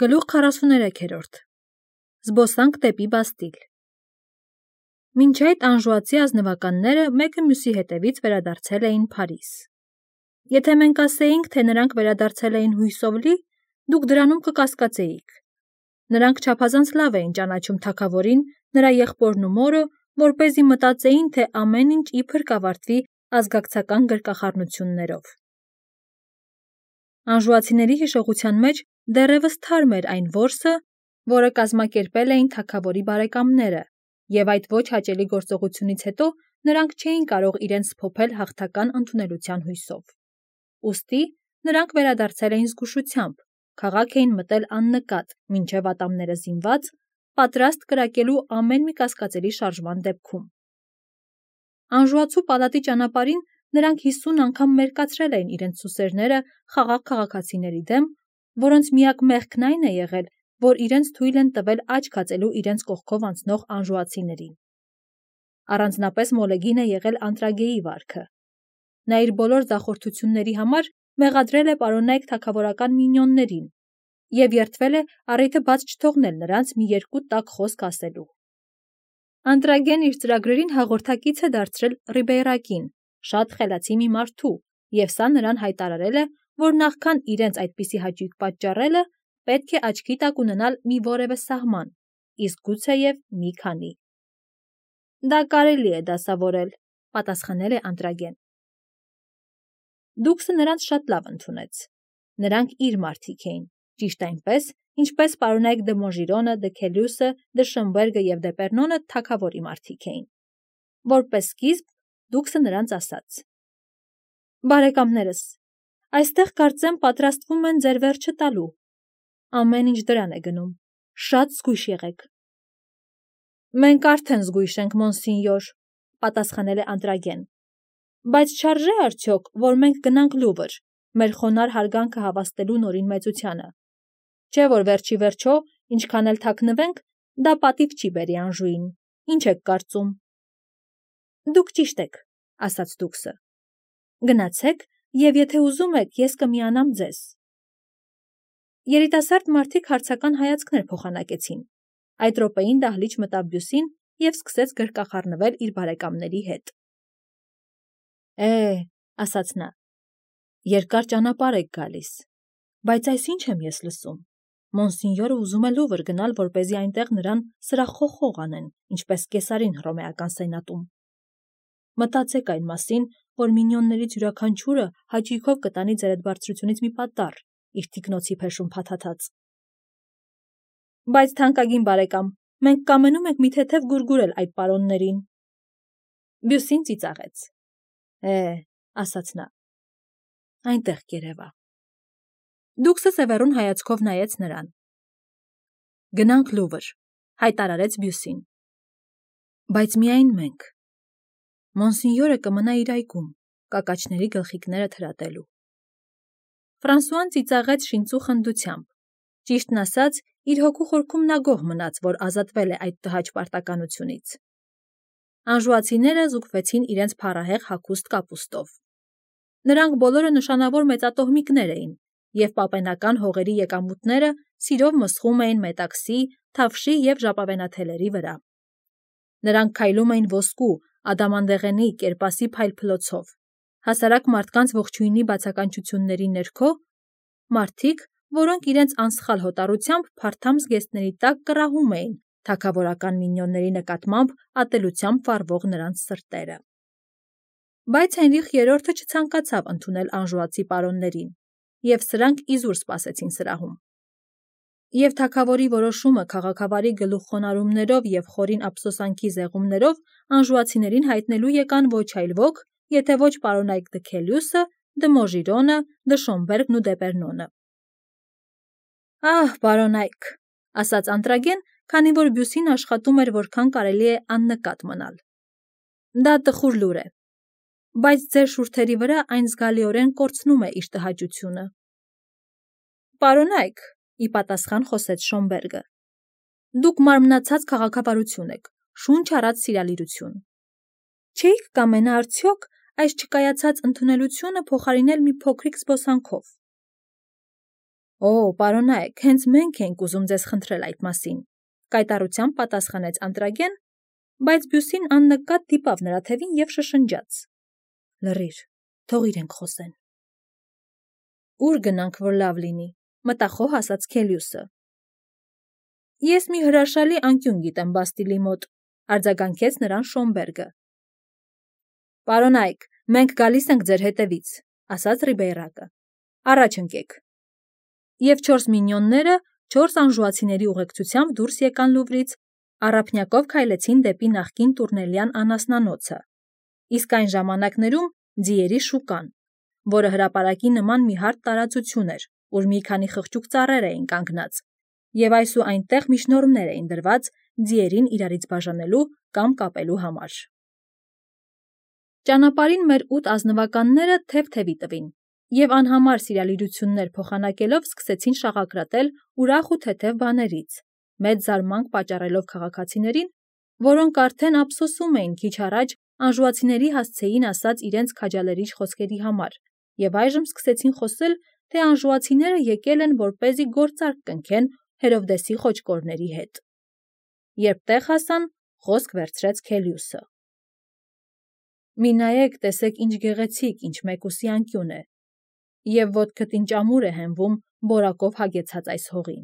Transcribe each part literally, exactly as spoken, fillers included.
Գլուխ քառասուներեքերորդ Զբոսանք դեպի Բաստիլ Մինչ այդ անժուացի ազնվականները մեկը մյուսի հետևից վերադարձել էին Փարիզ։ Եթե մենք ասեինք, թե նրանք վերադարձել էին հույսով լի, դուք դրանում կկասկածեիք։ Նրանք չափազանց լավ էին ճանաչում թագավորին, նրա եղբորն ու մորը, որպեսզի մտածեին, թե ամեն ինչ իբր կավարտվի ազգակցական գրկախառնություններով։ Անժուացիների հիշողության մեջ դեռևս թարմ էր այն որսը, որը կազմակերպել էին թագավորի բարեկամները, և այդ ոչ հաճելի գործողությունից հետո նրանք չէին կարող իրենց սփոփել հաղթական ընդունելության հույսով։ Ուստի նրանք վերադարձել էին զգուշությամբ, քաղաք էին մտել աննկատ, մինչև ատամները զինված, պատրաստ կրակելու ամեն մի կասկածելի շարժման դեպքում։ Անժուացու պալատի ճանապարհին նրանք հիսուն անգամ մերկացրել էին իրենց սուսերները խաղաղ քաղաքացիների դեմ, որոնց միակ մեղքն այն է եղել, որ իրենց թույլ են տվել աչք հացելու իրենց կողքով անցնող անժուացիներին։ Առանձնապես մոլեգին է եղել Անտրագեի վարքը։ Նա իր բոլոր ձախորդությունների համար մեղադրել է պարոնայք թագավորական մինյոններին և երդվել է առիթը բաց չթողնել նրանց մի երկու տաք խոսք ասելու։ Անտրագեն իր ծրագրերին հաղորդակից է դարձրել Ռիբեյրակին, շատ խելացի մի մարդու, և սա նրան հայտարարել է, որ նախքան իրենց այդպիսի հաճույք պատճառելը, պետք է աչքի տակ ունենալ մի որևէ սահման, իսկ գուցեև մի քանի։ Դա կարելի է դասավորել, պատասխանել է Անտրագեն։ Դուքսը նրանց շատ լավ ընդունեց։ Նրանք իր մարդիկ էին, ճիշտ այնպես, ինչպես պարոնայք դը Մոժիրոնը, դը Քելյուսը, դը Շըմբերգը և դը Պեռնոնը թագավորի մարդիկ էին։ Որպես սկիզբ, դուքսը նրանց ասաց. «Բարեկամներս, այստեղ կարծեմ պատրաստվում են ձեր վերջը տալու։ Ամեն ինչ դրան է գնում, շատ զգույշ եղեք»։ Մենք արդեն զգույշ ենք, մոնսինյոր, պատասխանել է Անտրագեն, բայց չարժե՞ արդյոք, որ մենք գնանք Լուվր, մեր խոնարհ հարգանքը հավաստելու նորին մեծությանը։ Չէ՞ որ վերջ ի վերջո, ինչքան էլ թաքնվենք, դա պատիվ չի բերի Անժուին, ինչ եք կարծում։ Դուք ճիշտ եք, ասաց դուքսը։ Գնացեք, և եթե ուզում եք, ես կմիանամ ձեզ։ Երիտասարդ մարդիկ հարցական հայացքներ փոխանակեցին։ Այդ րոպեին դահլիճ մտավ Բյուսին և սկսեց գրկախառնվել իր բարեկամների հետ։ Է, ասաց նա, երկար ճանապարհ եք գալիս, բայց այս ինչ եմ ես լսում։ Մոնսինյորը ուզում է Լուվր գնալ, որպեսզի այնտեղ նրան սրախոխող անեն, ինչպես Կեսարին հռոմեական սենատում։ Մտածեք այն մասին, որ մինյոններից յուրաքանչյուրը հաճույքով կտանի ձեր այդ բարձրությունից մի պատառ, իր թիկնոցի փեշում փաթաթած։ Բայց թանկագին բարեկամ, մենք կամենում ենք մի թեթև գուրգուրել այդ պարոններին։ Բյուսին ծիծաղեց։ Է, ասաց նա, այնտեղ կերևա։ Դուքսը սևեռուն հայացքով նայեց նրան։ Գնանք Լուվր, հայտարարեց Բյուսին։ Բայց միայն մենք։ Մոնսինյորը կմնա իր այգում, կակաչների գլխիկները թրատելու։ Ֆրանսուան ծիծաղեց շինծու խնդությամբ։ Ճիշտն ասած, իր հոգու խորքում նա գոհ մնաց, որ ազատվել է այդ տհաճ պարտականությունից։ Անժուացիները զուգվեցին իրենց փառահեղ հագուստ կապուստով։ Նրանք բոլորը նշանավոր մեծատոհմիկներ էին, և պապենական հողերի եկամուտները սիրով մսխում էին մետաքսի, թավշի և ժապավենաթելերի վրա։ Նրանք քայլում էին ոսկու, ադամանդեղենի, կերպասի փայլփլոցով, հասարակ մարդկանց ողջույնի բացականչությունների ներքո, մարդիկ, որոնք իրենց անսխալ հոտառությամբ փարթամ զգեստների տակ կռահում էին թագավորական մինյոնների նկատմամբ ատելությամբ վառվող նրանց սրտերը։ Բայց Հենրիխ երրորդը չցանկացավ ընդունել անժուացի պարոններին, և սրանք իզուր սպասեցին սրահում։ Եվ թագավորի որոշումը քաղաքավարի գլուխխոնարհումներով և խորին ափսոսանքի զեղումներով անժուացիներին հայտնելու եկան ոչ այլ ոք, եթե ոչ պարոնայք դը Քելյուսը, դը Մոժիրոնը, դը Շոմբերգն ու դը Պեռնոնը։ Ահ, պարոնայք, ասաց Անտրագեն, քանի որ Բյուսին աշխատում էր որքան կարելի է աննկատ մնալ։ Դա տխուր լուր է, բայց ձեր շուրթերի վրա այն զգալիորեն կորցնում է իր տհաճությունը։ Պարոնայք, ի պատասխան խոսեց Շոմբերգը, դուք մարմնացած քաղաքավարություն եք, շունչ առած սիրալիրություն։ Չէիք կամենա արդյոք այս չկայացած ընդունելությունը փոխարինել մի փոքրիկ զբոսանքով։ Օ, պարոնայք, հենց մենք ենք ուզում ձեզ խնդրել այդ մասին, կայտառությամբ պատասխանեց Անտրագեն, բայց Բյուսին աննկատ դիպավ նրա թևին և շշնջաց. Լռիր, թող իրենք խոսեն։ Ուր գնանք, որ լավ լինի, մտախոհ ասաց Քելիուսը։ Ես մի հրաշալի անկյուն գիտեմ Բաստիլի մոտ, արձագանքեց նրան Շոմբերգը։ Պարոնայք, մենք գալիս ենք ձեր հետևից, ասաց Ռիբեյրակը։ Առաջ ընկեք։ Եվ չորս մինյոնները չորս անժուացիների ուղեկցությամբ դուրս եկան Լուվրից, առափնյակով քայլեցին դեպի նախկին տուրնելյան անասնանոցը, իսկ այն ժամանակներում ձիերի շուկան, որը հրապարակի նման մի հարթ տարածություն էր, ուր մի քանի խղճուկ ծառեր էին կանգնած, և այս ու այնտեղ միջնորդներ էին դրված ձիերին իրարից բաժանելու կամ կապելու համար։ Ճանապարհին մեր ութ ազնվականները թև-թևի տվին, և անհամար սիրալիրություններ փոխանակելով սկսեցին շաղակրատել ուրախ ու թեթև բաներից, մեծ զարմանք պատճառելով քաղաքացիներին, որոնք արդեն ափսոսում էին քիչ առաջ անժուացիների հասցեին ասած իրենց քաջալերիչ խոսքերի համար, և այժմ սկսեցին խոսել, թե անժուացիները եկել են, որպեսզի գործարք կնքեն Հերովդեսի խոճկորների հետ։ Երբ տեղ հասան, խոսք վերցրեց Քելիուսը. Մի նայեք, տեսեք ինչ գեղեցիկ, ինչ մեկուսի անկյուն է, և ոտքդ ինչ ամուր է հենվում բորակով հագեցած այս հողին։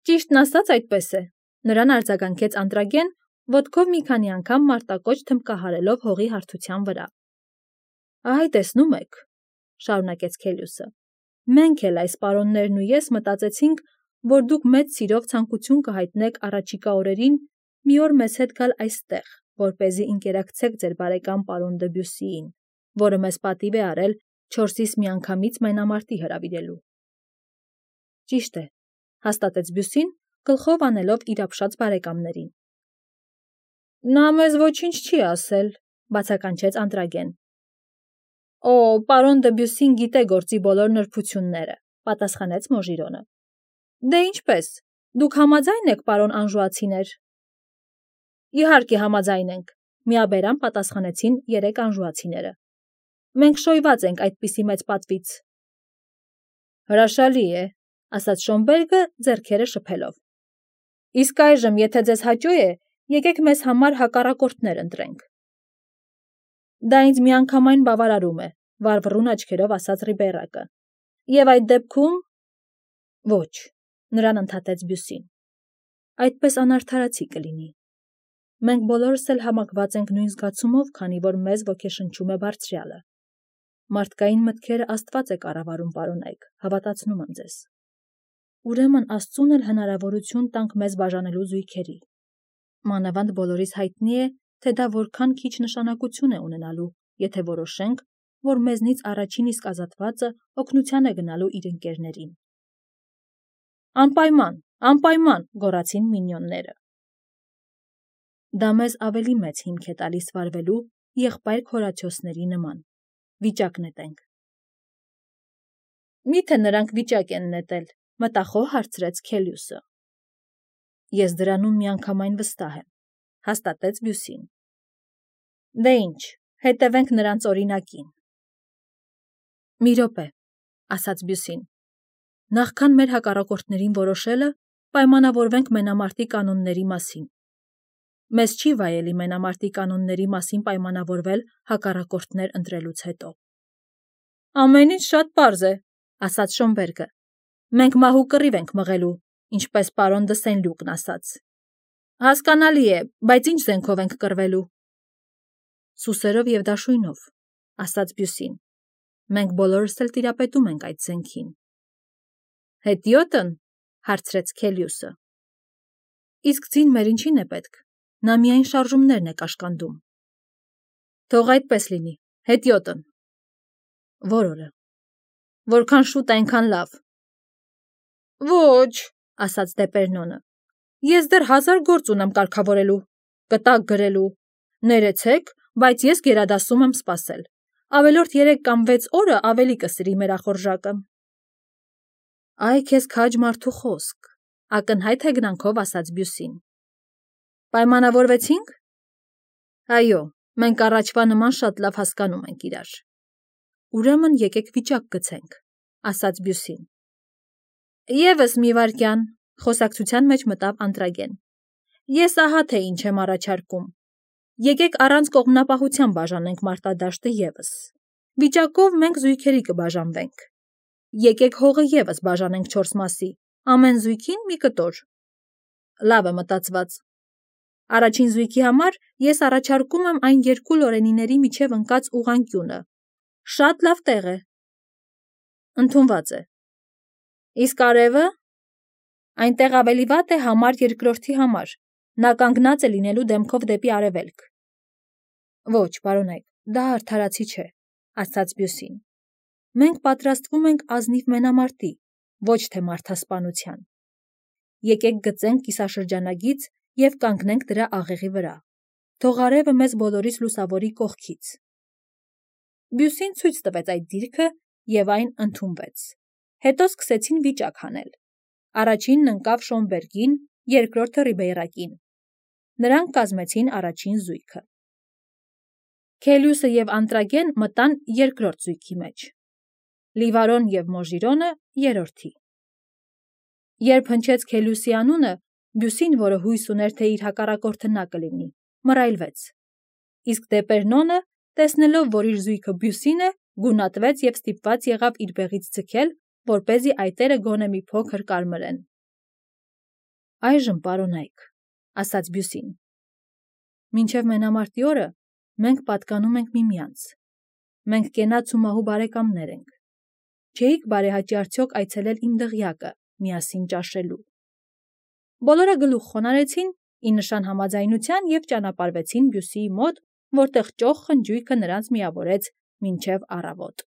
Ճիշտն ասած այդպես է, նրան արձագանքեց Անտրագեն, ոտքով մի քանի անգամ մարտակոչ թմբկահարելով հողի հարթության վրա։ Այ, տեսնում եք, շարունակեց Քելիուսը, մենք էլ այս պարոններն ու ես մտածեցինք, որ դուք մեծ սիրով ցանկություն կհայտնեք առաջիկա օրերին մի օր մեզ հետ գալ այստեղ, որպեսզի ընկերակցեք ձեր բարեկամ պարոն Դեբյուսիին, որը մեզ պատիվ է արել չորսիս միանգամից մենամարտի հրավիրելու։ Ճիշտ է, հաստատեց Բյուսին, գլխով անելով իր ապշած բարեկամներին։ Նա մեզ ոչինչ չի ասել, բացականչեց Անտրագեն։ Օ, պարոն Դեբյուսին գիտե գործի բոլոր նրբությունները, պատասխանեց Մոժիրոնը։ Դե ինչպես, դուք համաձայն եք, պարոն անժուացիներ։ Իհարկե համաձայն ենք, միաբերան պատասխանեցին երեք անժուացիները։ Մենք շոյված ենք այդպիսի մեծ պատվից։ Հրաշալի է, ասաց Շոմբերգը ձեռքերը շփելով։ Իսկ այժմ, եթե ձեզ հաճո է, եկեք մեզ համար հակառակորդներ ընտրենք։ Դա ինձ միանգամայն բավարարում է, վառվռուն աչքերով ասաց Ռիբեյրակը։ Եվ այդ դեպքում… Ոչ, նրան ընդհատեց Բյուսին։ Այդպես անարդարացի կլինի։ Մենք բոլորս էլ համակված ենք նույն զգացումով, քանի որ մեզ ոգեշնչում է Բարձրյալը։ Մարդկային մտքերը Աստված է կառավարում, պարոնայք, հավատացնում եմ ձեզ։ Ուրեմն Աստծուն էլ հնարավորություն տանք մեզ բաժանելու զույգերի։ Մանավանդ բոլորիս հայտնի է, թե դա որքան քիչ նշանակություն է ունենալու, եթե որոշենք, որ մեզնից առաջին իսկ ազատվածը օգնության է գնալու իր ընկերներին։ Անպայման, անպայման, գոռացին մինյոնները։ Դա մեզ ավելի մեծ հիմք է տալիս վարվելու եղբայր Հորատիոսների նման։ Վիճակ նետենք։ Միթե նրանք վիճակ են նետել, մտախոհ հարցրեց Քելիուսը։ Ես դրանում միանգամայն վստահ եմ, հաստատեց Բյուսին։ Դե ինչ, հետևենք նրանց օրինակին։ Մի րոպե, ասաց Բյուսին։ Նախքան մեր հակառակորդներին որոշելը, պայմանավորվենք մենամարտի կանոնների մասին։ Մեզ չի վայելի մենամարտի կանոնների մասին պայմանավորվել հակառակորդներ ընտրելուց հետո։ Ամեն ինչ շատ պարզ է, ասաց Շոմբերգը։ Մենք մահու կռիվ ենք մղելու, ինչպես պարոն դը Սեն-Լյուկն ասաց։ Հասկանալի է, բայց ինչ զենքով ենք կռվելու։ Սուսերով և դաշույնով, ասաց Բյուսին։ Մենք բոլորս էլ տիրապետում ենք այդ զենքին։ Հետիոտն, հարցրեց Քելիուսը։ Իսկ ձին մեր ինչին է պետք, նա միայն շարժումներն է կաշկանդում։ Թող այդպես լինի, հետիոտն։ Որ օրը։ Որքան շուտ այնքան լավ։ Ոչ, ասաց Դեպերնոնը։ Ես դեռ հազար գործ ունեմ կարգավորելու, կտակ գրելու։ Ներեցեք, բայց ես գերադասում եմ սպասել։ Ավելորդ երեք կամ վեց օրը ավելի կսրի մեր ախորժակը։ Այ քեզ քաջ մարդու խոսք, ակնհայտ հեգնանքով ասաց Բյուսին։ Պայմանավորվեցինք։ Այո, մենք առաջվա նման շատ լավ հասկանում ենք իրար։ Ուրեմն եկեք վիճակ գցենք, ասաց Բյուսին։ Եվս մի վայրկյան, խոսակցության մեջ մտավ Անտրագեն։ Ես ահա թե ինչ եմ առաջարկում։ Եկեք առանց կողմնապահության բաժանենք մարտադաշտը եւս։ Վիճակով մենք զույգերի կբաժանվենք։ Եկեք հողը եւս բաժանենք չորս մասի, ամեն զույգին մի կտոր։ Լավ է մտածված։ Առաջին զույգի համար ես առաջարկում եմ այն երկու լորենիների միջև ընկած ուղղանկյունը։ Շատ լավ տեղ է։ Ընդունված է։ Իսկ արևը։ Այնտեղ ավելի վատ է համար երկրորդի համար։ Նա կանգնած է լինելու դեմքով դեպի արևելք։ Ոչ, պարոնայք, դա արդարացի չէ, ասաց Բյուսին։ Մենք պատրաստվում ենք ազնիվ մենամարտի, ոչ թե մարդասպանության։ Եկեք գծենք կիսաշրջանագիծ և կանգնենք դրա աղեղի վրա։ Թող արևը մեզ բոլորից լուսավորի կողքից։ Բյուսին ցույց տվեց այդ դիրքը և այն ընդունվեց։ Հետո սկսեցին վիճակ հանել։ Առաջինն ընկավ Շոնբերգին, երկրորդը Ռիբեյրակին։ Նրանք կազմեցին առաջին զույգը։ Քելյուսը և Անտրագեն մտան երկրորդ զույգի մեջ։ Լիվարոն և Մոժիրոնը երրորդի։ Երբ հնչեց Քելյուսի անունը, Բյուսին, որը հույս ուներ, թե իր հակառակորդը նա կլինի, մռայլվեց։ Իսկ Դեպերնոնը, տեսնելով, որ իր զույգը Բյուսին է, գունատվեց և ստիպված եղավ իր բեղից ձգել, որպեսզի այտերը գոնե մի փոքր կարմրեն։ Այժմ, պարոնայք, ասաց Բյուսին, մինչև մենամարտի օրը մենք պատկանում ենք միմյանց։ Մենք կենաց ու մահու բարեկամներ ենք։ Չէիք բարեհաճի արդյոք այցելել իմ դղյակը միասին ճաշելու։ Բոլորը գլուխ խոնարհեցին ի նշան համաձայնության և ճանապարհվեցին Բյուսիի մոտ, որտեղ ճոխ խնջույքը նրանց միավորեց մինչև առավոտ։